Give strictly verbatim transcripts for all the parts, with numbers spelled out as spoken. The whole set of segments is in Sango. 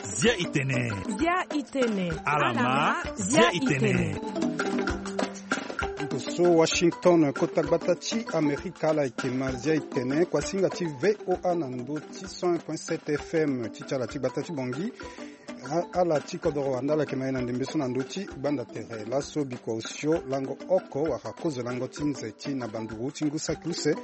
Zia itene. Zia itene. Alama. Zia itene. Nto so Washington, kota gbata ti Amerika, ala yeke ma Zia itene, kuasinga ti VOA na ndo ti cent un point sept F M ti ti ala ti gbata ti Bongi. A- ala ti kodoro wande ala yeke ma e na ndembe so na ndo ti gbanda tere laso bikua osio lango oko wala kozo lango ti nze ti na banduru ti ngu saki use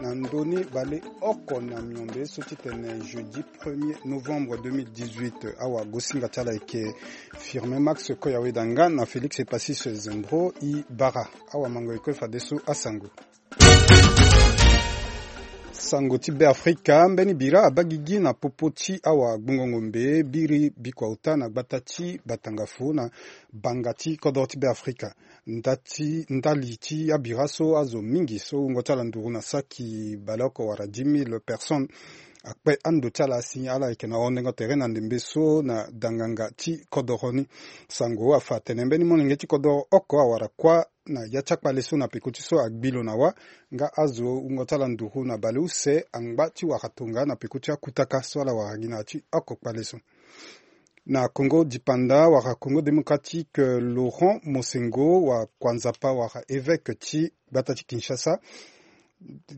na ndoni baleoko na miombe so titene jeudi premier novembre deux mille dix-huit. Awagosinga ti ala yeke Firmin Max Koyawedanga na Félix Epasis Zembro i bara. Awamango e kue fadeso asango. Sango ti Beafrika, mbeni bira abaa gigi na popo ti awagbongo ngombe biri bikua ota na gbata ti Batangafo na banga ti kodoro ti Beafrika. Nda ti ndali ti abira so azo mingi so wungo ti ala nduru na saki baleoko wala dix mille personnes akpe ando ti ala si ala yeke na hondengo tere na ndembe so na danganga ti kodoro ni. Sango afa atene mbeni molenge ti kodoro oko awara kuâ na ya ti akpale so na peko ti so agbi lo na wâ, nga azo wungo ti ala nduru na baleuse angba ti wara tonga na peko ti akutaka so ala wara gi na ya ti oko kpale so. Na Congo dipanda wala Congo démocratique, Laurent Mosengo wa kua nzapa wala évêque ti gbata ti Kinshasa,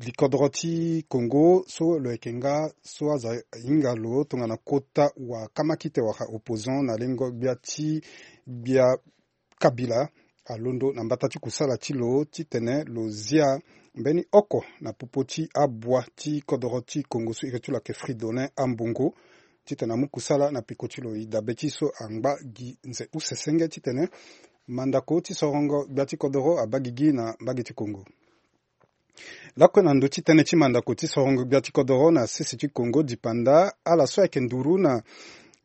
likodoro ti Congo so lo yeke nga so azo ahinga lo tongana kota wa kamakite wala opposant na lengo gbia ti gbia Kabila alondo na mbata ti kusala ti lo titene lo zia mbeni oko na popo ti abua ti kodoro ti Congo so iri ti lo ayeke Fridolin Ambongo, titene amu kusala na peko ti lo. E dabe ti so angba gi nze use senge titene mandako ti sorongo gbia ti kodoro abaa gigi na mbage ti Congo. Lakue na ndö ti tënë ti mandako ti sorongo gbia ti kodoro na sese ti Congo dipanda, ala so ayeke nduru na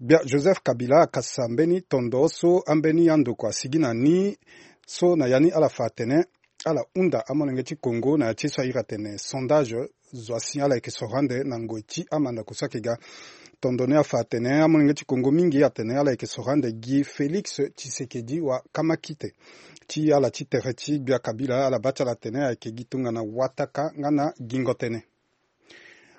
gbia Joseph Kabila akasa mbeni tondo so ambeni andoko asigi na ni, so na ya ni ala fa atene ala hunda amolenge ti Congo na ya ti ye so a iri atene sondage. Zo asi ala yeke soro ande na ngoi ti amandako so ayeke ga. Tondo ni afa atene amolenge ti Congo mingi atene ala yeke soro ande gi Félix Tshisekedi wa kamakite ti ala ti tere ti gbia Kabila, ala baa ti ala atene ayeke gi tongana wataka nga na gingo tënë.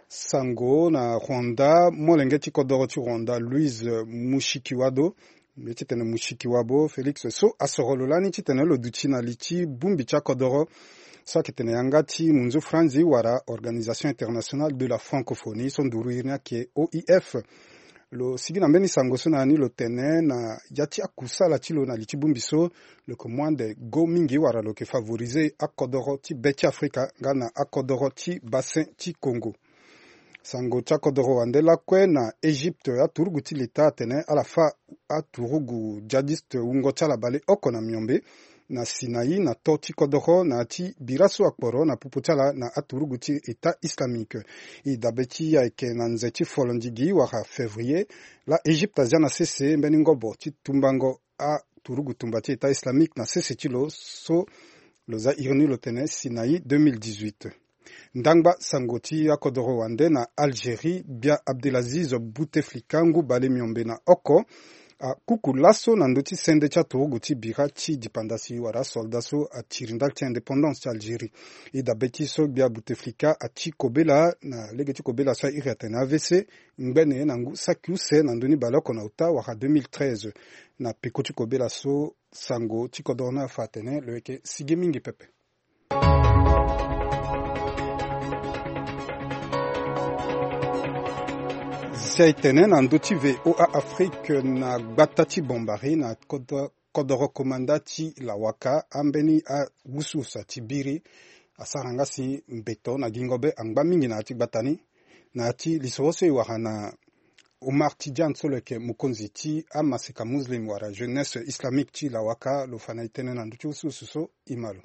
Sango na Rwanda, molenge ti kodoro ti Rwanda Louise Mushikiwabo, mbi ye titene Mushikiwabo Félix so asoro lo lani titene lo duti na li ti bongbi ti akodoro so ayeke tene yanga ti munzu franzi wala Organisation Internationale de la Francophonie so nduru iri ni ayeke O I F. Lo sigi na mbeni sango so na ya ni lo tene na ya ti akusala ti lo na li ti bongbi so, lo yeke mu ande go mingi wala lo yeke favoriser akodoro ti be ti Afrika nga na akodoro ti bassin ti Congo. Sango ti akodoro wande lakue na Égypte, aturugu ti leta atene ala fâ aturugu djihadiste wungo ti ala baleoko na miombe na Sinaï na to ti kodoro na ya ti bira so akporo na popo ti ala na aturugu ti État islamique. E dabe ti e ayeke na nze ti folondigi wala février, la Égypte azia na sese mbeni ngobo ti tumbango aturugu tumba ti État islamique na sese ti lo so lo za iri ni lo tene Sinaï deux mille dix-huit. Ndangba sango ti akodoro wande na Algérie, gbia Abdelaziz Bouteflika ngu bale miombe na oko akuku laso na ndö ti sende ti aturugu ti bira ti dipanda si wala asoldat so atiri ndali ti indépendance ti Algérie. E dabe ti so gbia Bouteflika ati kobela na lege ti kobela so a iri atene A V C, ngbene na ngu saki use na ndö ni baleoko na uta wala deux mille treize. Na peko ti kobela so sango ti kodoro ni afa atene lo yeke sigi mingi pepe. Si aye tene na ndö ti V O A Afrique na gbata ti Bombari na kodo- kodoro komanda ti Lawaka, ambeni awusuwusu ati biri asara nga si mbeto na gingo be angba mingi na ya ti gbata ni. Na ya ti lisoro so e wara na Omar Tidiane so lo yeke mokonzi ti amaseka muslim wala jeunesse islamique ti Lawaka, lo fa na e tënë na ndö ti wusuwusu so. E ma lo.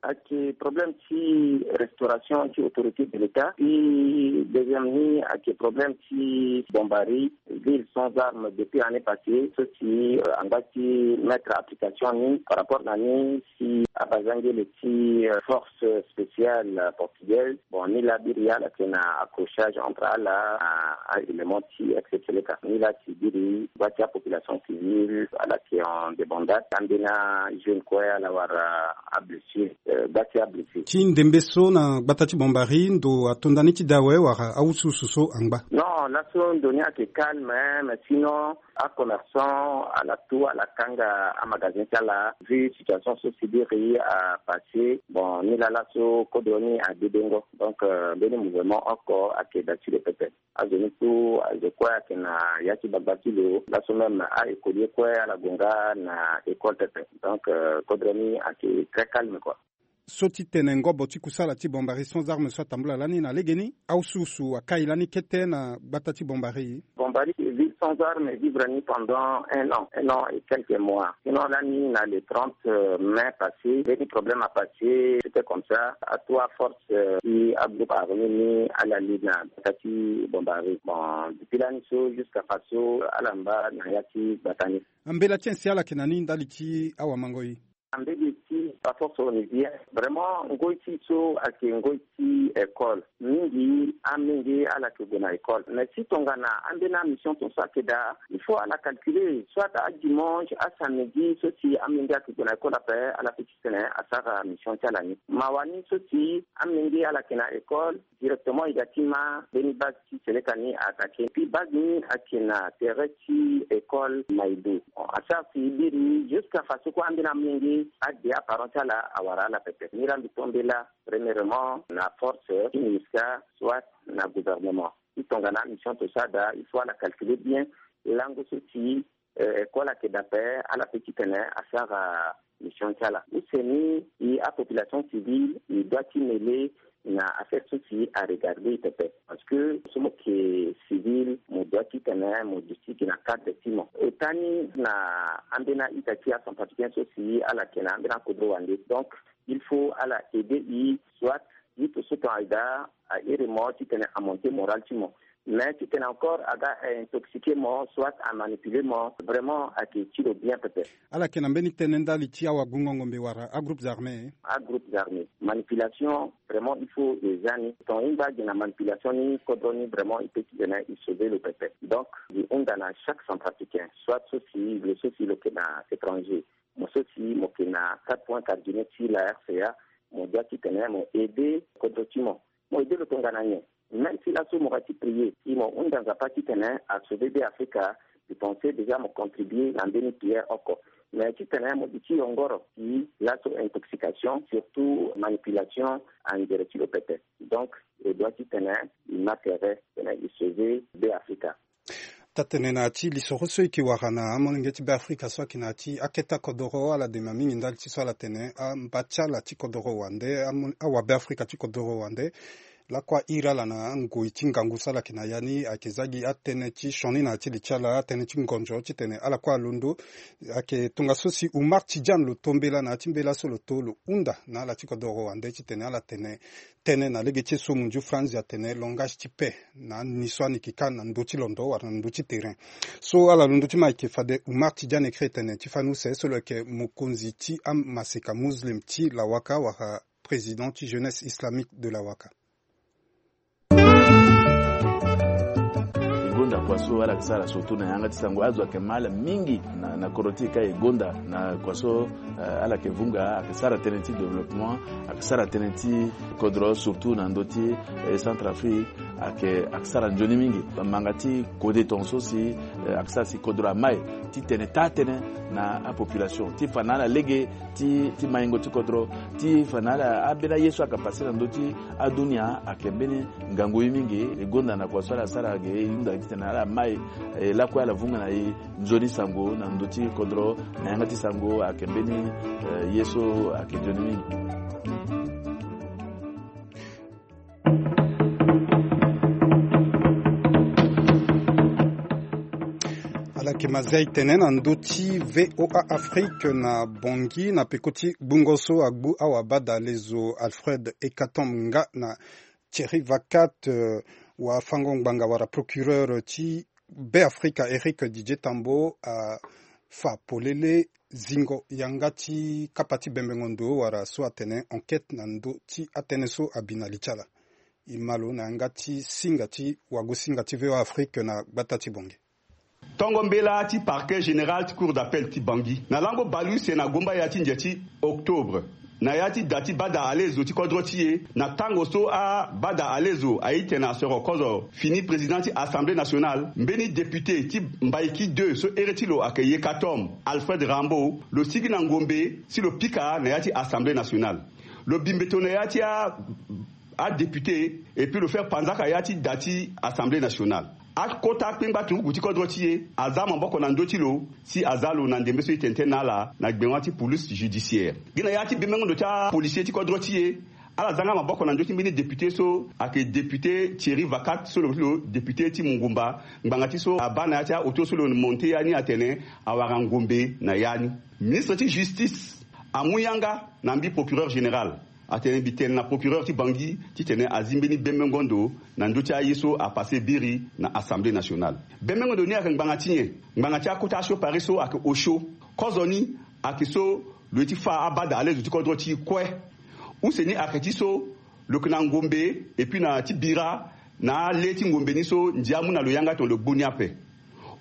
Ayeke problème ti restauration ti autorité de l'État. Puis deuxième ni ayeke problème ti Bombari, ville sans armes depuis année passée. So si, euh, angba ti mettre application ni par rapport na ni si abazangele ti, euh, force spéciale portugaise. Bon, ni la biri ala tena accrochage entre ala, euh, un élément ti ex-Seleka. Ni la ti biri, ba ti apopulation civile, ala ti en débandade. Ambeni ajeune kue ala wara ablessure. Gba ti ablessé ti ndembe so na gbata ti Bambari, ndo atonda ni ti da awe wala awusuwusu so angba? Non, laso ndo ni ayeke calme, mais sinon acommerçant ala tu ala kanga amagazin ti ala, vu situation so si biri apassé. Bon, ni laa laso kodro ni adedengo. Donc mbeni mouvement oko ayeke da ti lo pepe. Azo ni so azo kue ayeke na ya ti gbagba ti lo. Laso même a-écolier kue ala gue nga na école pepe. Donc kodro ni ayeke très calme quoi. So ti tene ngobo ti kusala ti Bambari sans arme so atambula lani na legeni, awusuwusu akai lani kete na gbata ti Bambari. Bambari ville sans arme evivre ni pendant un an, un an et quelques mois. Sinon lani na le trente mai passé, mbeni problème apassé, c'était comme ça. Atout aforce ti agroupe armé ni ala li na gbata ti Bambari. Bon, depuis lani so jusqu'à faso ala mba na ya ti gbata ni. Ambela ti en si ala yeke na ni ndali ti awamangoi? Ambela ti aforce onisien, vraiment ngoi ti so ayeke ngoi ti école. Mingi amenge ala yeke gue na école, mais si tongana ambeni amission ton so ayeke daa, il faut ala calculer soit adimanche asamedi so si amenge ayeke gue na école ape, ala peut ti tene asara mission ti ala ni. Mawa ni so si amenge ala yeke na école, directement e ga ti ma mbeni base ti Seleka ni a attaqué. Puis base ni ayeke na tere ti école Maïdou. Bon, asara si e biri jusqu'à faso kue ambeni amenge ade aparent ti ala awara ala pepe. Ni laa mbi to mbela premièrement na force ti MINUSCA, soit na gouvernement. Si tongana amission ton so ada, il faut ala calculer bien lango so si école ayeke daa ape, ala peut ti tene asara mission ti ala. Use ni, e apopulation civile e doit ti mêler na affaire so si aregarder e pepe. Parce que so mo yeke civil, mo doit ti tene mo duti gi na cadre ti mo. Ota ni na ambeni a-ita ti acentrafricain so si ala yeke na ambeni akodro wande. Donc il faut ala aider e, soit juste so ton ayeke daa, a iri mo ti tene amonter moral ti mo. Mais ti tene encore aga intoxiquer mo, soit amanipuler mo, vraiment ayeke ti lo bien pepe. Ala yeke na mbeni tënë ndali ti awagungo ngombe wala agroupes armés? Agroupes armés, manipulation, vraiment il faut e za ni. Ton e ngba gi na manipulation ni, kodro ni vraiment e peut ti tene e sauver lo pepe. Donc e hunda na chaque centrafricain, soit so si lo so si lo yeke na étranger, mo so si mo yeke na quatre points cardinaux ti la RCA, mo doit ti tene mo aider kodro ti mo. Mo aider lo tongana nyen? Même si laso mo ga ti prier, si mo hunda Nzapa ti tene a sauver Be Afrika, je pense déjà mo contribuer na mbeni prière oko. Mais ti tene mo duti yongoro si laso intoxication, surtout manipulation, angere ti lo pepe. Donc e doit ti tene e ma tere tene e sauver Be Afrika. Taa-tene na ya ti lisoro so e yeke wara na amolenge ti Be Afrika so ayeke na ya ti akete akodoro, ala dema mingi ndali ti so ala tene amba ti ala ti kodoro wande, amo- awabe Afrika ti kodoro wande, lakue a iri ala na ngoi ti ngangu so ala yeke na ya ni, ayeke za gi atënë ti sioni na ya ti li ti ala, atënë ti ngonzo titene ala kue alondo. Ayeke tongaso si Umar Tidiane lo to mbela na ya ti mbela so lo to lo hunda na ala ti kodoro wande titene ala tene tënë na lege ti e so munzu franzi atene langage ti paix na ani so ani yeke ka na ndö ti londo wala na ndö ti terrain. So ala londo ti ma ayeke fade Umar Tidiane Kri tene ti fani use so lo yeke mokonzi ti amaseka muslim ti Lawaka wala président ti Jeunesse Islamique de Lawaka. E gonda kua so ala yeke sara surtout na yanga ti sango, azo ayeke ma ala mingi na, na kodro ti e ka e gonda na kua so, eh, ala yeke vunga, ayeke sara tënë ti développement, ayeke sara tënë ti kodro surtout na ndö ti, eh, Centrafrique, ayeke, ayeke sara nzoni mingi. Manga ti kode tongaso si, eh, ayeke sara si kodro amai ti tene taa-tënë na apopulation ti fa na ala lege ti, ti maingo ti kodro, ti fa na ala ambeni aye so ayeke pase na ndö ti adunia ayeke mbeni ngangu ye mingi. E gonda na kua so ala sara ge, e hunda titene ala mai, e lakue ala vunga na e nzoni sango na ndö ti kodro na yanga ti sango ayeke mbeni, eh, ye so ayeke nzoni mingi. Ala yeke mazia e tene na ndö ti V O A Afrique na Bangui na peko ti gbungo so agbu awabadalezo Alfred Ekatom nga na Thierry Vacat, eh, wafango ngbanga wala procureur ti Be Afrika Eric Didier Tambo afa polele zingo yanga ti kapa ti bembengo ndo wala so atene enquête na ndö ti atënë so abi na li ti ala. E ma lo na yanga ti singa ti wagosinga ti V O A Afrique na gbata ti Bangui. Tongo mbela ti Parquet Général ti Cour d'Appel ti Bangui na lango bale use na gombaya ti ndia ti octobre. Na ya ti da ti bada alezo ti kodro ti e, na tango so abada alezo aye tene asoro kozo fini président ti Assemblée nationale, mbeni député ti Mbaïki deux so ere ti lo ayeke Yekatom Alfred Rambo, lo sigi na ngombe si lo pika na ya ti Assemblée nationale. Lo bi mbeto na ya ti a adéputé, et puis lo faire panzaka ya ti da ti Assemblée nationale. Akota akpengba turuku ti kodro ti e aza maboko na ndö ti lo si aza lo na ndembe so e tene tënë na ala na gbengo ti police judiciaire. Gi na ya ti bembengo ndo ti apolisier ti kodro ti e, ala za nga maboko na ndö ti mbeni député so ayeke député Thierry Vacat so lo ti lo député ti Mungumba, ngbanga ti so abaa na ya ti aoto so lo monte ya ni atene awara ngombe na ya ni. Ministre ti justice amu yanga na mbi procureur général, atene mbi tene na procureur ti Bangui titene azi mbeni bembengo ndo na ndö ti aye so apasse biri na Assemblée nationale. Bembengo ndo ni ayeke ngbanga ti nyen? Ngbanga ti akota asiopari so ayeke osio. Kozoni ayeke so lo ye ti fâ abada alezo ti kodro ti e kue. Use ni ayeke ti so lo yeke na ngombe, et puis na ti bira na ale ti ngombe ni so ndia amu na lo yanga tongana lo gbu ni ape.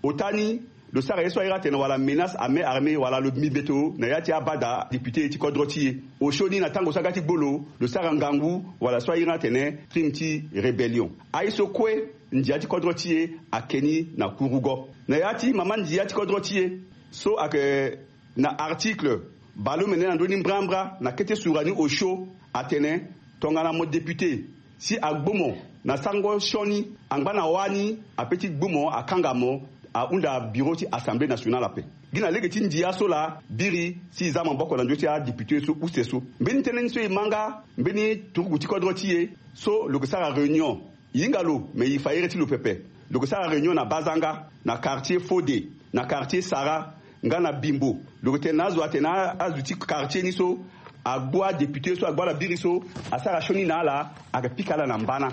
Ota ni, lo sara ye so ahiri atene wala menace à main armée wala lo bi mbeto na ya ti abada député ti kodro ti e. Osio ni na tango so aga ti gbu lo, lo sara ngangu wala so ahiri atene crime ti rébellion. Aye so kue ndia ti kodro ti e ayeke ni na kurugo. Na ya ti mama ndia ti kodro ti e so ayeke na article baleomene na ndö ni mbrambra na kete sura ni osio atene tongana mo député si agbu mo na sango sioni, angba na wâ ni ape ti gbu mo, akanga mo, ahunda bureau ti Assemblée nationale ape. Gi na lege ti ndia so laa biri si e za maboko na ndö ti adéputé so use so. Mbeni tënë ni so e ma nga mbeni turuku ti kodro ti e so lo yeke sara réunion. E hinga lo me e fa iri ti lo pepe. Lo yeke sara réunion na Bazanga, na quartier Fode, na quartier Sara, nga na Bimbo. Lo yeke tene na azo atene azo ti quartier ni so agbu adéputé so agbu ala biri so asara sioni na ala, ayeke pika ala na mbana.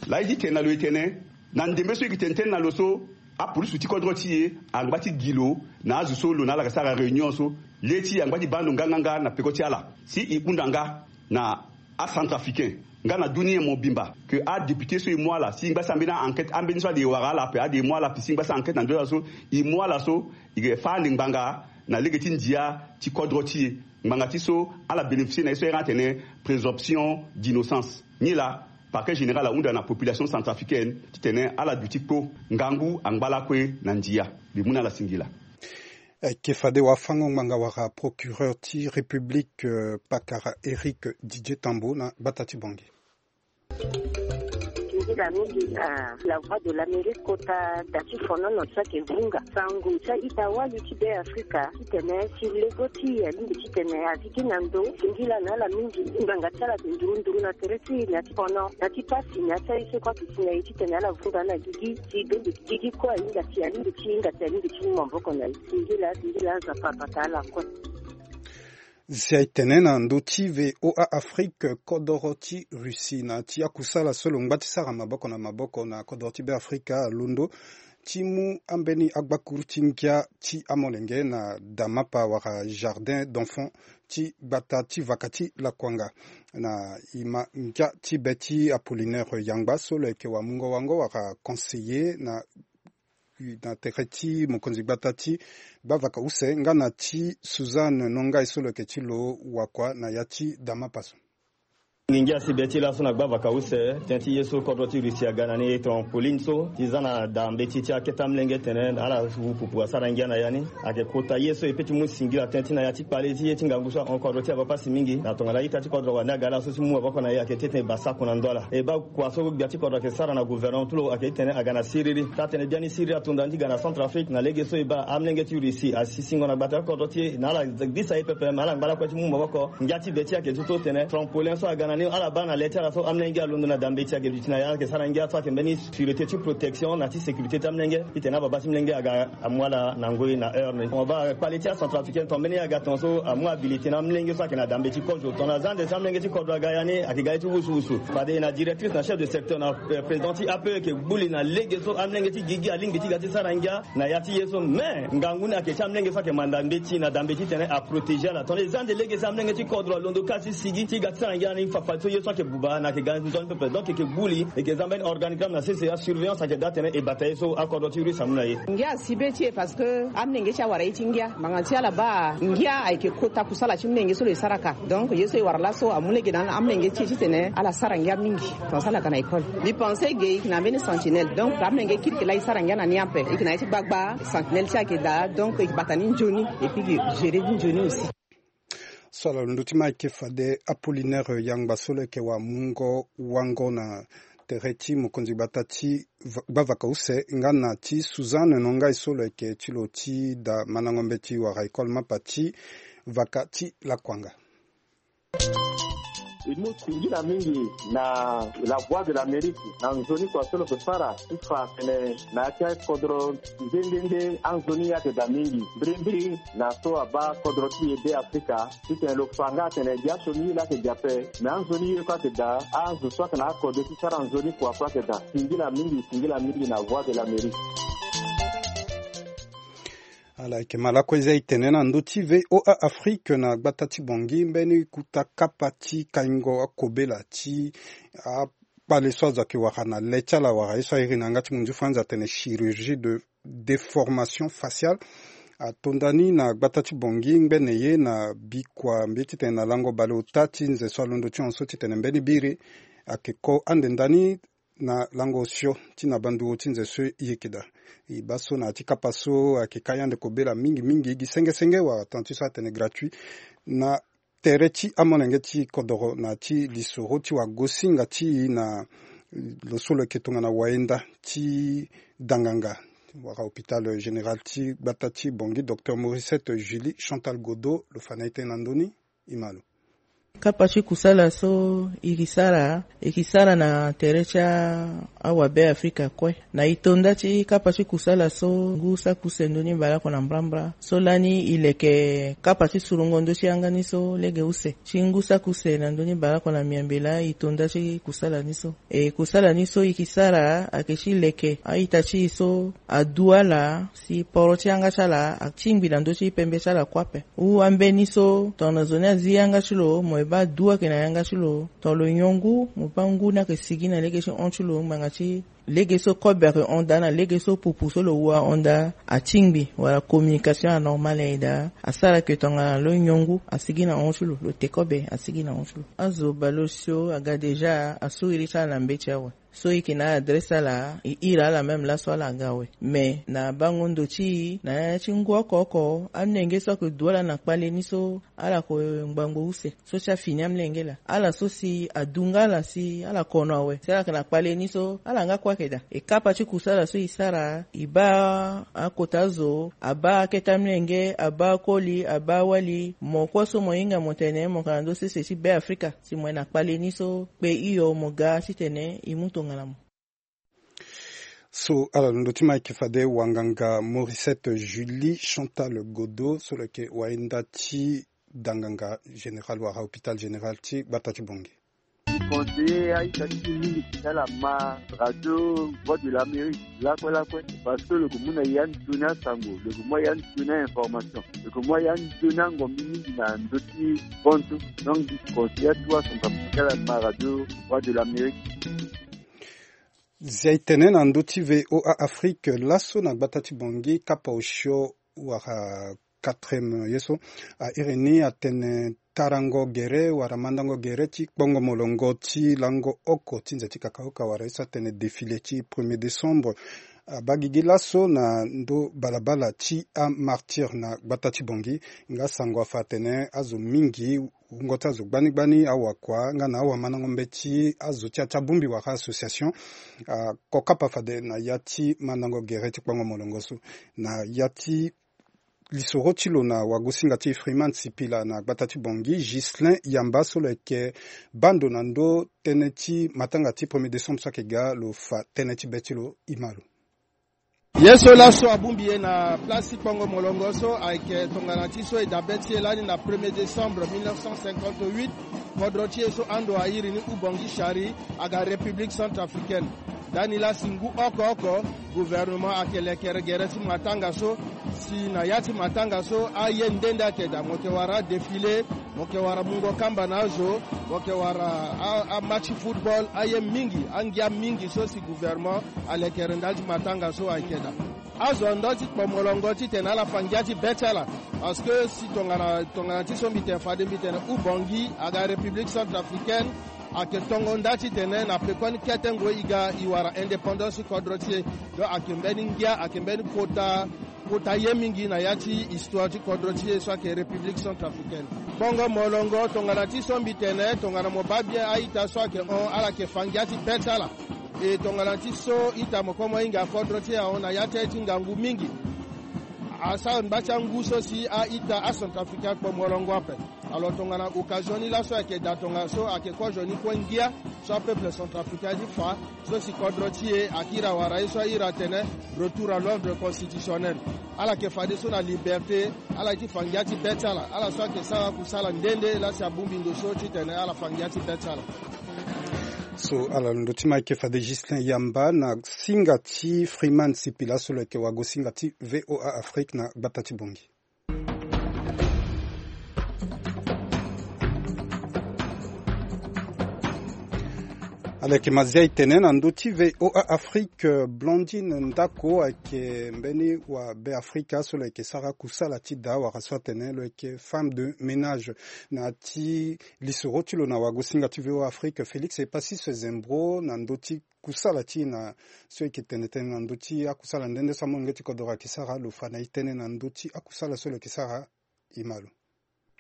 Laa e ti tene na lo e tene na ndembe so e yeke tene tënë na lo so, apolisi ti kodro ti e angba ti gi lo na azo so lo na ala yeke sara réunion so. Le ti e angba ti baa ndo nganganga na peko ti ala si e hunda nga na acentrafricain nga na dunia mobimba ke adéputé so e mu ala si e ngba si ambeni a-enquête, ambeni so ade e wara ala ape, ade e mu ala ape si e ngba si a-enquête na ndö ti ala so, e mu ala so e yeke fâ ande ngbanga na lege ti ndia ti kodro ti e. Ngbanga ti so ala bénéficier na ye so e iri atene présomption d'innocence. Nilaa parquet général ahunda na population centrafricaine titene ala duti kpo, ngangu angba lakue na ndia. Mbi mu na ala singila. Ayeke fade wafango-ngbanga wala procureur ti République, euh, pakara Éric Didier Tambo na gbata ti Bangui. Singila mingi na La Voix de l'Amérique kota da ti fonono so ayeke vunga sango ti a-ita-wali ti Be Afrika titene si lego ti e alingbi titene azi gi na ndo. Singila na ala mingi. Ngbanga ti ala ayeke nduru nduru na tere ti e na ya ti fono, na ya ti pasi, na ya ti aye so kue ayeke si na e titene ala vunga na gigi. Si dongi gigi kue ahinga si alingbi ti hinga si alingbi ti mu maboko na e. Singila, singila, Nzapa abata ala kue. Si aye tene na ndö ti V O A Afrique, kodoro ti Russie na ti akusala so lo ngba ti sara maboko na maboko na kodoro ti Be Afrika alondo ti mu ambeni agbakuru ti ngia ti amolenge na damapa wala jardin d'enfant ti gbata ti vaka ti Lakuanga. Na e ma ngia ti be ti Apollinaire Yangba so lo yeke wamungo wango wala conseiller na na tere ti mokonzi gbata ti gbavaka use nga na ti Suzanne Nongai so lo yeke ti lo wakua na ya ti damapa so. Ngingia si be ti laso na gbavaka use tënë ti ye so kodro ti Russie aga na ni trampoline so ti za na da mbeti ti akete amolenge tene ala wu pupu asara ngia na ya ni. Ayeke kota ye so e pe ti mu singila tënë ti na ya ti kpale ti ye ti ngangu so ahon kodro ti e abaa pasi mingi na tongana ita ti kodro wande aga laso ti mu maboko na e ayeke ti tene e baa sako na ndo ala. E baa kua so gbia ti kodro ayeke sara na gouvernement ti lo ayeke ti tene aga na siriri. Taa-tënë biani siriri ato nda ni ti ga na Centrafrique na lege so e baa amolenge ti Russie asi singo na gbata ti kodro ti e na ala gbisa ye pepe me ala ngba lakue ti mu maboko. Ngia ti be ti e ayeke ti so tene trampolin so aga na ni ala baa na le ti ala so amolenge alondo na da mbeti ayeke duti na ya ayeke sara ngia so ayeke mbeni sûreté ti protection na ti sécurité ti amolenge. Titene ababa ti mlenge aga amu ala na ngoi na heure ni. Tongana baa kpale ti acentrafricain tongana mbeni ye aga tongaso amu abilité na mlenge so ayeke na da mbeti kozo tongana za ande si amlenge ti kodro aga ya ni ayeke ga ye ti wusuwusu. Fade na directrice na chef de secteur na, eh, président ti A P E ayeke gbu li na lege so amlenge ti gigi alingbi ti ga ti sara ngia na ya ti ye so. Mais ngangu ni ayeke ti amlenge so ayeke manda mbeti na da mbeti titene aprotégé ala tongana e za ande lege si amlenge ti kodro alondo kâ ti sigi ti ga ti sara ngia ni. Fadeso ye so ayeke buba na ayeke ga nzoni pepe, donc e yeke gbu li, e yeke za mbeni organigramme na sese asurveillance ayeke daa atene e bata ye so akodro ti russe amu na ye. Ngia asi be ti e parce que amolenge ti e awara ye ti ngia. Ngbanga ti ala baa ngia ayeke kota kusala ti molenge so lo ye sara ka. Donc ye so e wara laso amu lege na amolenge ti e titene ala sara ngia mingi. Tongana so ala ga na école, mbi pense ge e yeke na mbeni sentinelle, donc amolenge kiri yeke laa e sara ngia na ni ape. E yeke na ye ti gbagba, sentinelle ti e ayeke daa, donc e yeke bata ni nzoni et puis e yeke gérer ni nzoni aussi. So ala londo ti ma ayeke fade Apollinaire Yangba so lo yeke wamungo wango na tere ti mokonzi gbata ti va- gbavaka use nga na ti Suzanne Nongai so lo yeke ti lo ti da mandango mbeti wala école mapa ti vaka ti lakuanga. E mu singila mingi na La Voix de l'Amérique na nzoni kua so lo yeke sara ti fa atene na ya ti akodro nde nde nde anzoni ye ayeke daa mingi mbirimbiri na so abaa kodro ti e Be Afrika. Titene lo fa nga atene gi asioni ye laa ayeke gi ape, me anzoni ye kue ayeke daa. Azo so ayeke na akode ti sara nzoni kua kue ayeke daa. Singila mingi, singila mingi na Voix de l'Amérique. Ala yeke ma lakue za e tene na ndö ti V O A Afrique na gbata ti Bangui mbeni kuta kapa ti kaingo akobela ti akpale so azo ayeke wara na le ti ala wala ye so airi na yanga ti munzu ti Faranzi atene chirurgie de déformation faciale. Ato nda ni na gbata ti Bangui ngbene ye na bikua mbi ye titene na lango baleota ti nze so alondo ti hon so titene mbeni biri ayeke ko ande nda ni na lango osio ti na banduru ti nze so e yeke daa. E baa so na ya ti kapa so ayeke kai ande kobela mingi mingi gi senge senge wala tana ti so atene gratuit na tere ti amolenge ti kodoro na ya ti lisoro ti wagosinga ti e na lo so lo yeke tongana wayenda ti danganga wala hôpital général ti gbata ti Bangui, docteur Mauricette Julie Chantal Godot lo fa na e tënë na ndö ni. E ma lo. Kapa ti kusala so e ke sara, e ke sara na tere ti a- awabe Afrika kue. Na e to nda ti kapa ti kusala so ngu saki use ndoni baleoko na mbrambra so lani e leke kapa ti surungo ndö ti yanga ni so lege use ti ngu saki use na ndoni baleoko na miambe laa e to nda ti kusala ni so. E kusala ni so e ke sara ayeke ti leke a-ita ti e so adu ala si poro ti yanga ti ala atingbi na ndö ti pembe ti ala kue ape. Hou ambeni so tongana zo ni azi yanga ti lo mo e baa du ayeke na yanga ti lo. Tongana lo nyon ngu mo baa ngu ni ayeke sigi na lege ti hon ti lo ngbanga ti lege so kobe ayeke hon daa na lege so pupu so lo wu ahon daa atingbi wala communication anormal aye daa. Asara ke tongana lo nyon ngu asigi na hon ti lo, lo te kobe asigi na hon ti lo. Azo baleosio aga déjà asuri ti ala na mbeti awe. So e yeke na adresse ala e iri ala même laso ala ga awe. Mais na bango ndo ti e na ya ti ngu oko oko amolenge so ayeke du ala na kpale ni so ala yeke ngbangbo use so ti afini amolenge laa. Ala so si adu nga ala si ala kono awe si ala yeke na kpale ni so ala nga kue ayeke daa. E kapa ti kusala so e sara e baa akota azo abaa akete amolenge abaa akoli abaa awali mo kue so mo hinga mo tene mo yeke na ndö sese ti Be Afrika si mo ye na kpale ni so kpe hio mo ga titene e mu tongana mo. So ala londo ti ma ayeke fade wanganga Mauricette Julie Chantal Godot so lo yeke wayenda ti danganga général wala hôpital général ti gbata ti Bangui. Conseiller a-ita ti e mingi ti ala ma radio Voix de l'Amérique lakue lakue parce que lo yeke mu na ya nzoni asango, lo yeke mu ya nzoni a-information, lo yeke mu ya nzoni angombi mingi na ndö ti bantu. Donc mbi conseiller atu asango ti ala ma radio Voix de l'Amérique. Zia e tene na ndö ti V O A Afrique laso na gbata ti Bangui kapa osio wala quatrième ye so a iri ni atene tarango gere wala mandango gere ti kpongo molongo ti lango oko ti nze ti kakaoka wala ye so atene défilé ti premier décembre abaa gigi laso na ndö balabala ti amartyr na gbata ti Bangui. Nga sango afa atene azo mingi wungo ti azo gbani gbani awakua nga na awamandango mbeti azo ti ya ti abongbi wala association ako kapa fade na ya ti mandango gere ti kpongo molongo so na ya ti lisoro ti lo na wagosinga ti Freeman Sipila na gbata ti Bangui, Ghislain Yamba so lo yeke baa ndo na ndö tënë ti matanga ti premier décembre so ayeke ga lo fa tënë ti be ti lo. E ma lo. Ye so laso abongbi e na place ti kpongo molongo so ayeke tongana ti so e dabe ti e lani na premier décembre mille neuf cent cinquante-huit. Kodro ti e so ando airi ni Ubangui Chari aga République centrafricaine. Ndani laa si ngu oko oko gouvernement ayeke lekere gere ti matanga so Si na ya ti matanga so aye nde nde ayeke daa, mo yeke wara adéfilé, mo yeke wara mungo kamba na azo, mo yeke wara amatch football, aye mingi, angia mingi so si gouvernement alekere ndali ti matanga so ayeke daa. Azo ndo ti kpo molongo titene ala fa ngia ti be ti ala. Parce que si tongana tongana ti so mbi tene fade mbi tene ubongi aga République centrafricaine, ayeke tongo nda titene na pekoni kete ngoi e ga e wara indépendance ti kodro ti e. Donc ayeke mbeni ngia, ayeke mbeni kota kota ye mingi na ya ti histoire ti kodro ti e so ayeke République centrafricaine. Bongo molongo tongana ti so mbi tene tongana mo baa bien a-ita so ayeke hon ala yeke fa ngia ti be ti ala. E tongana ti so ita mo kue mo hinga kodro ti e ahon na ya ti aye ti ngangu mingi. Asara ngba ti angu so si a-ita acentrafricain akpo molongo ape. Alors tongana occasion ni laso ayeke daa tongana so ayeke kozo ni kue ngia so apeuple centrafricain ti fa so si kodro ti e akiri awara ye so ahiri atene retour à l'ordre constitutionnel. Ala yeke fadeso na liberté, ala ye ti fa ngia ti be ti ala. Ala so ayeke sara akusala nde nde laa si abongbi ndo so titene ala fa ngia ti be ti ala. So ala londo ti ma ayeke fade Justin Yamba na singa ti Freeman Sipila so lo yeke wago singa ti V O A Afrique na gbata ti Bongi. Ala yeke mazia e tene na ndö ti V O A Afrique, Blondine Ndako ayeke mbeni wa Beafrika so lo yeke sara kusala ti da wala so atene lo yeke femme de ménage. Na ya ti lisoro ti lo na wagosinga ti V O A Afrique, Félix Epasis Zembro na ndö ti kusala ti e na so e yeke tene tënë na ndö ti akusala nde nde so amolenge ti kodoro ayeke sara, lo fa na e tënë na ndö ti akusala so lo yeke sara. E ma lo.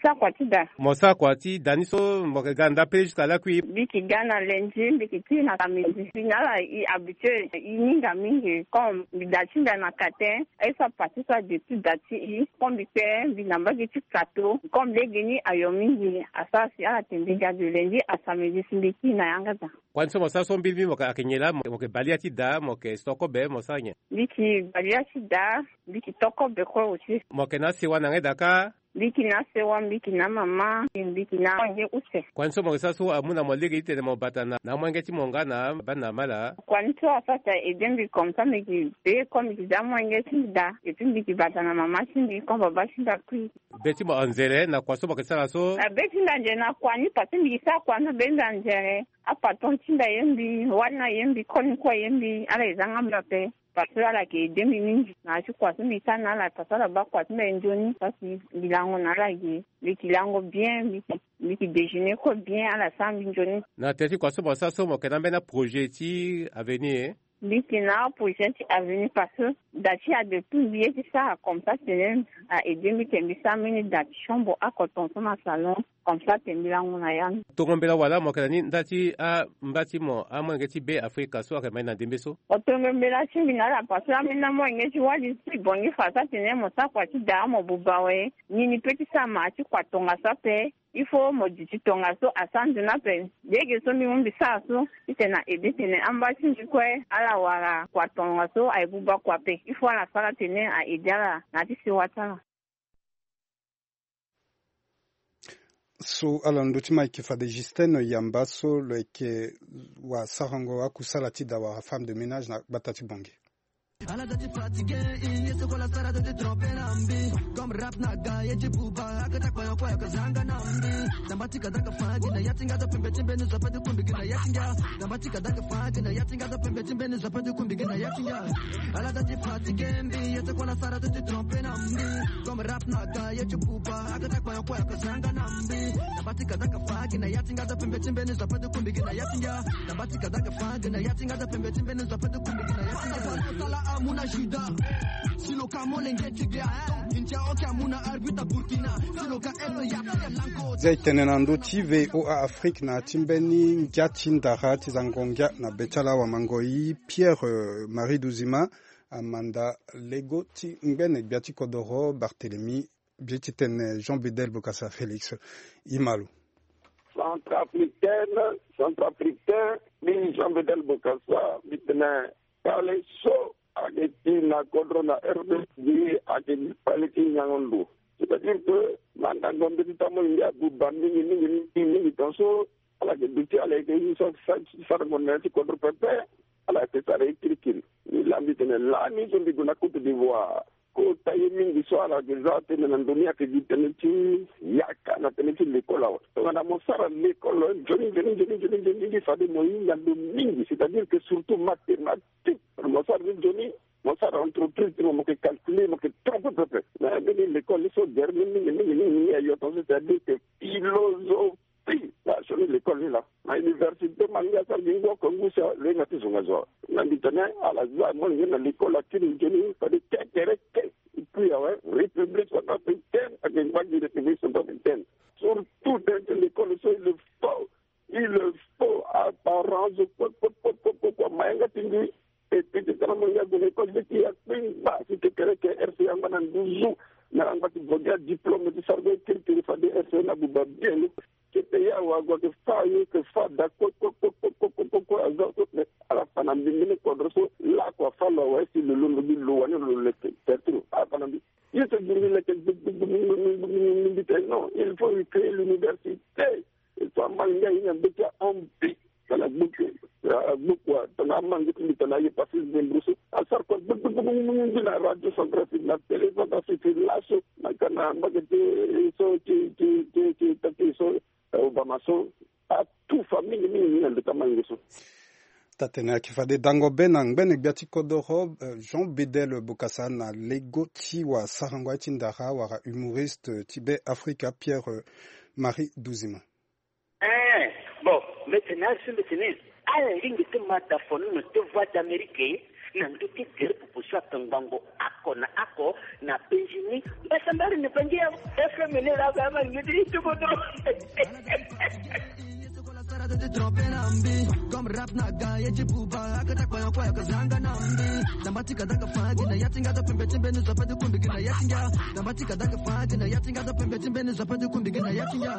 Sara kua ti da. Mo sara kua ti da ni so mo yeke ga na nda pele jusqu'à lakui? Mbi yeke ga na lundi, mbi yeke ti na samedi. Mbi na ala e habitué, e hinga mingi. Comme mbi da ti mbi na katin, aye so apase so ade ti da ti e. Comme mbi kpe mbi na mbage ti kato. Comme lege ni ayo mingi, asara si ala tene mbi ga de lundi à samedi si mbi kiri na yanga da. Kua ni so mo sara so mbi mbi mo yeke, ayeke nyen laa? Mo yeke bale ya ti da, mo yeke to kobe, mo sara nyen? Mbi yeke bale ya ti da, mbi yeke to kobe kue aussi. Mo yeke na asewa na ngai da kâ? Mbi yeke na asewa, mbi yeke na amama, mbi yeke na amolenge use. Kua ni so mo yeke sara so amu na mo lege titene mo bata na amolenge ti mo nga na bana na mala? Kua ni so asara si a aidé mbi comme ça mbi yeke be comme mbi yeke daa amolenge ti mbi daa. Et puis mbi yeke bata na mama ti mbi comme baba ti mbi akui. Be ti mo anzere na kua so mo yeke sara so? Na be ti mbi anzere na kua ni parce que mbi yeke sara kua ni so be ti mbi anzere. Apatron ti mbi aye mbi, wali ni aye mbi, koli ni kue aye mbi, ala e za nga mbi ape. Parce que ala yeke aidé mbi mingi na ya ti kua so mbi sara na ala, parce que ala baa kua ti mbi aye nzoni. Parce que mbi lango na ala ge, mbi yeke lango bien, mbi yeke, mbi yeke déjeuner kue bien, ala sara mbi nzoni. Na tere ti kua so mo sara so mo yeke na ambeni aprojet ti avenir? Mbi yeke na aprojet ti avenir parce que da ti ade tout mbi ye ti sara comme ça tene a aidé mbi tene mbi sara mbeni da ti chambre akoton so na salon. Comme ça tene mbi lango na ya ni. Tongo mbela wala mo yeke na ni nda ti amba ti mo amolenge ti Be Afrika so ayeke mbeni na ndembe so? Mo tongo mbela ti mbi na ala parce que ambeni amolenge ti wali ti bongi fa so atene mo sara kua ti da mo buba awe. Ni ni peut ti sara ma ti kua tongaso ape. Il faut mo duti tongaso asara nzoni ape. Lege so mbi mu mbi sara so titene a aidé tene amba ti mbi kue ala wara kua tongaso aye buba kua ape. Il faut ala sara tene a aidé ala na ya ti sewa ti ala. So ala ndö ti ma ayeke fade Justin Yamba so lo yeke wasarango akusala ti da wala femme de ménage na gbata ti Bongi. Ala da ti fatigué, i ye so kola sara da ti trompé na mbi. Comme rap na ga ye ti buba, aka ta kpayokpo aka zanga na mbi. Damba ti ka da ka fa gi na ya ti nga da pembe ti mbeni zo pe ti kumbi gi na ya ti nga. Damba ti ka da ka fa gi na ya ti nga da pembe ti mbeni zo pe ti kumbi gi na ya ti nga. Ala da ti fatigué mbi, ye so kola sara da ti trompé na mbi. Comme rap na ga ye ti buba, aka ta kpayokpo aka zanga na mbi. Damba ti ka da ka fa gi na ya ti nga da pembe ti mbeni zo pe ti kumbi gi na ya ti nga. Damba ti ka da ka fa gi na ya ti nga da pembe ti mbeni zo pe ti kumbi gi na ya ti nga. Sala amuna Juda. Si lo ka molenge ti ge a. Intia oke amuna arbitre Burkina. Si lo ka elo ya ti lango. Za e tene na ndö ti V O A Afrique na ti mbeni ngia ti ndara ti zango ngia na be ti ala wamangoi Pierre, euh, Marie Duzima amanda lego ti ngbene gbia ti kodoro Barthélemy. Bie ti tene Jean Bedel Bokassa Félix. E ma lo. Centrafricaine, centrafricain, mbi Jean Bedel Bokassa, mbi tene kpale so ayeke ti na kodro na R D C ayeke kpale ti nyango ndo. C'est-à-dire que mandango mbeti ti amolenge abuba mingi mingi mingi mingi tongaso ala yeke duti ala yeke ye so sarango na ya ti kodro pepe. Ala yeke sara ye kirikiri. Mbi laa mbi tene lani so mbi gue na Côte d'Ivoire. Kota ye mingi so ala yeke za tënë na ndö ni ayeke gi tënë ti yaka na tënë ti lekol awe. Tongana mo sara lekol nzoni nzoni nzoni nzoni nzoni nzoni fade mo hinga ndo mingi, c'est-à-dire que surtout mathématique. Mo sara ni nzoni, mo sara entreprise ti mo, mo yeke calculer, mo yeke trompe pepe. Mais mbeni lekol ni so gere ni mingi mingi mingi ayo tongaso, c'est-à-dire que philosophie. Fi na sioni lekol ni laa na université, ma ngia asara gi ngu oko ngu si alenga ti zonga zo awe. Na mbi tene ala za molenge na lekol akiri nzoni fade kekereke. Epui awe, république centrafricaine ayeke ngba gi république centrafricaine. Surtout tene ti lekol so il faut, il faut apparence kue kue kue kue kue kue ma yanga ti mbi. E pete tara mo ngia gue na école ti ya kpengba si kekereke R C A angba na nduzu. Na angba ti gue gi adiplôme ti sara gue kirikiri fade R C A na buba bien ni. Kete ya wa gue ke fa yo ke fa da kue kue kue kue kue kue kue aza so pe ala fa na mbi mbeni kodro so lakue afa lo awe si lo londo gi lo wani lo le tertiro ala fa na mbi. Ye so gi mbi leke gbegbegbegbe mbi tene non, il faut recréer l'université. E so amal ngia ye na mbeti ahon mbi. Tala gbuku agbuku tala amangi ti mbi tala aye pasi zembro so asara kua gbegbegbegbe na radio centrafrique na télé centrafrique laso. Na ka na mbage ti so ti ti ti ti taki so obama so atufa mingi mingi mingi na ndeta mango so. Tatene ayeke fade dango be na ngbene gbia ti kodoro, eh, Jean Bedel Bokassa na lego ti wasarango aye ti ndara wala humoriste ti Be Afrika Pierre, eh, Marie Duzima. Eh, bon, mbi tene asi mbi tene ala lingbi ti ma da fono na te Voix d'Amérique na ndö ti gere popo so atongbango oko na oko na penzi ni. Mbasambari ni penzi ya F M ni la ba ma ni ti tukodro. Comme rap na ga ye ti buba akata kpaya kpaya ka zanga na mbi. Tamba ti ka da ka fa gi na ya ti nga da pembe ti mbeni zo pe ti kumbi gi na ya ti nga. Tamba ti ka da ka fa gi na ya ti nga da pembe ti mbeni zo pe ti kumbi gi na ya ti nga.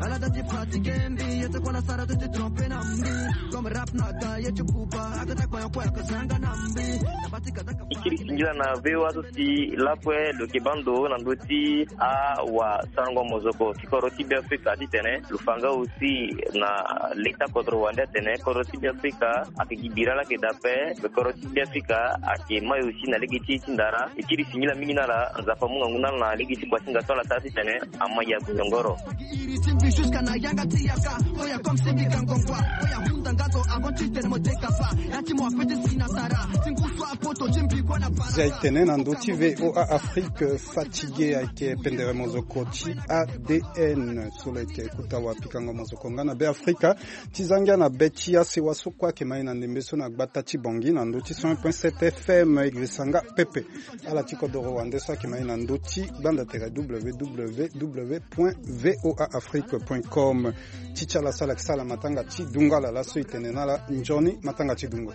Ala da ti fatigué mbi ye ti kua la sara ti ti tromper na mbi. Comme rap na ga ye ti buba akata kpaya kpaya ka zanga na mbi. Tamba ti ka da ka fa gi na ya ti nga. E kiri singila na V O A so si lakue lo yeke baa ndo na ndö ti awasarango mozoko ti kodro ti Be Afrika titene lo fa nga aussi na leta kodro wande atene kodro ti Be Afrika ayeke gi bira laa ayeke daa ape. Kodro ti Be Afrika ayeke mai aussi na lege ti e ti ndara. E kiri singila mingi na ala. Nzapa amu ngangu na ala na lege ti kuasinga so ala sara titene amai ya gozongoro. Iri ti mbi jusqu'à na yanga ti yaka. Oya comme si mbi ka ngongua. Oya hunda nga zo avant ti tene mo dekafa. Ya ti mo ape ti si na sara. Ti ngu so apoto ti mbi kue na para. Zia e tene na ndö ti V O A Afrique, fatigué ayeke pendere mozoko ti A D N so lo yeke kota wapikango mozoko nga na Be Afrika. Ti za ngia na be ti asewa so kue ayeke ma e na ndembe so na gbata ti Bangui na ndö ti cent un point sept F M, e girisa nga pepe. Ala ti kodoro wande so ayeke ma e na ndö ti gbanda tere W W W point V O A Afrique point com. Ti ti ala so ala yeke sara matanga ti dungo ala laso e tene na ala nzoni matanga ti dungo.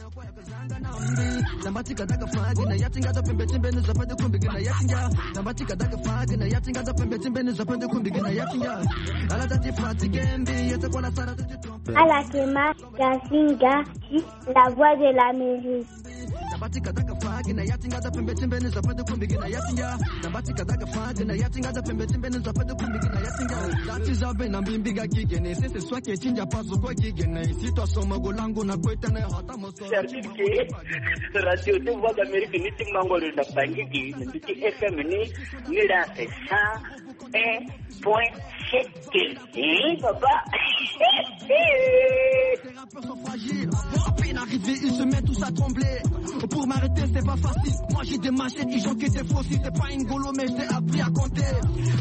Ala ke ma Gazinga ti La Voix de l'Amérique. C'est-à-dire que radio ti Voix d'Amérique ni ti mango lo na Bangui gi na mbi ti F M ni, ni la cent un point sept. Eh, papa. À peine arrivé, ils se mettent tous à trembler. Pour m'arrêter, c'est pas facile. Moi, j'ai des machettes, ils ont que des faux. Si t'es pas une golo, mais je t'ai appris à compter.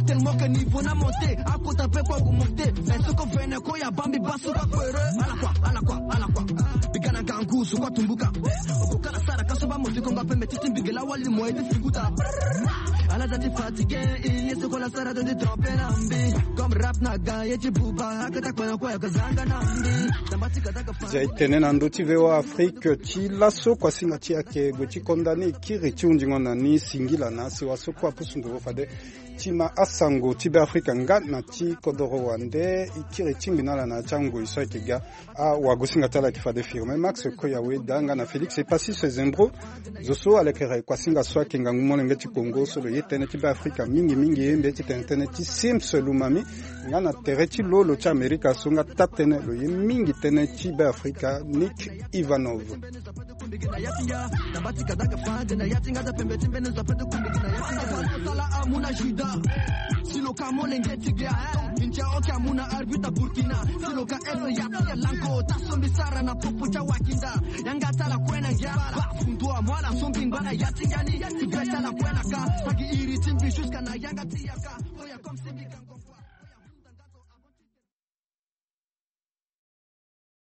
Tellement que niveau n'a monté, à côté, un peu quoi, vous montez. Mais ce qu'on fait, ne quoi, y a Bambi, Bassou, Bakwere. À la quoi, à la quoi, à la quoi. Bigana Gangu, Sukwa Tumbuka. Okokana Sara, Kasuba, Mosi, Konga, Pembe, Titi, Bigela, Wali, Moe, Titi, Guta. Ala za ti fatigué, ye se kola sara ti tromper na mbi. Comme rap na ga ye ti buba, akata kpana kue aka zanga na mbi. Tamba ti ka daga fa. Zia e tene na ndö ti V O A Afrique ti laso, kuasinga ti ayeke gue ti konda ni, kiri ti hundingo na ni, singila na asewa so kue apusu nduru fade ti ma asango ti Be Afrika nga na ti kodoro wande, e kiri tingbi na ala na ya ti angoi so ayeke ga. Awagosinga ti ala ayeke fade Firmin Max Koyawe daa nga na Félix Epasis Zembro. Zo so ala yeke iri kuasinga so ayeke ngangu molenge ti Kongo so lo ye tënë ti Be Afrika mingi mingi, mbi ye ti tene tënë ti Sims Lumami, nga na tere ti lo lo ti Amerika so nga taa-tënë lo ye mingi tënë ti Be Afrika, Nick Ivanov. Na ya ti nga, na bâ ti kadaga fade na ya ti nga, da pembe ti mbeni zo ape ti kumbi gi na ya ti nga. Sala amu na Juda. Si lo ka molenge ti ge ato. Intia oki amu na arbitre Burkina. Si lo ka ese ya ti ya lanko, ta sombi sara na popo ti awakinda. Yanga tala kue na ngia. Ba fundu amu ala sombi ngba na ya ti nga ni. Ti be tala kue na ka. Agi iri ti mbi jusqu'à na yanga ti yaka.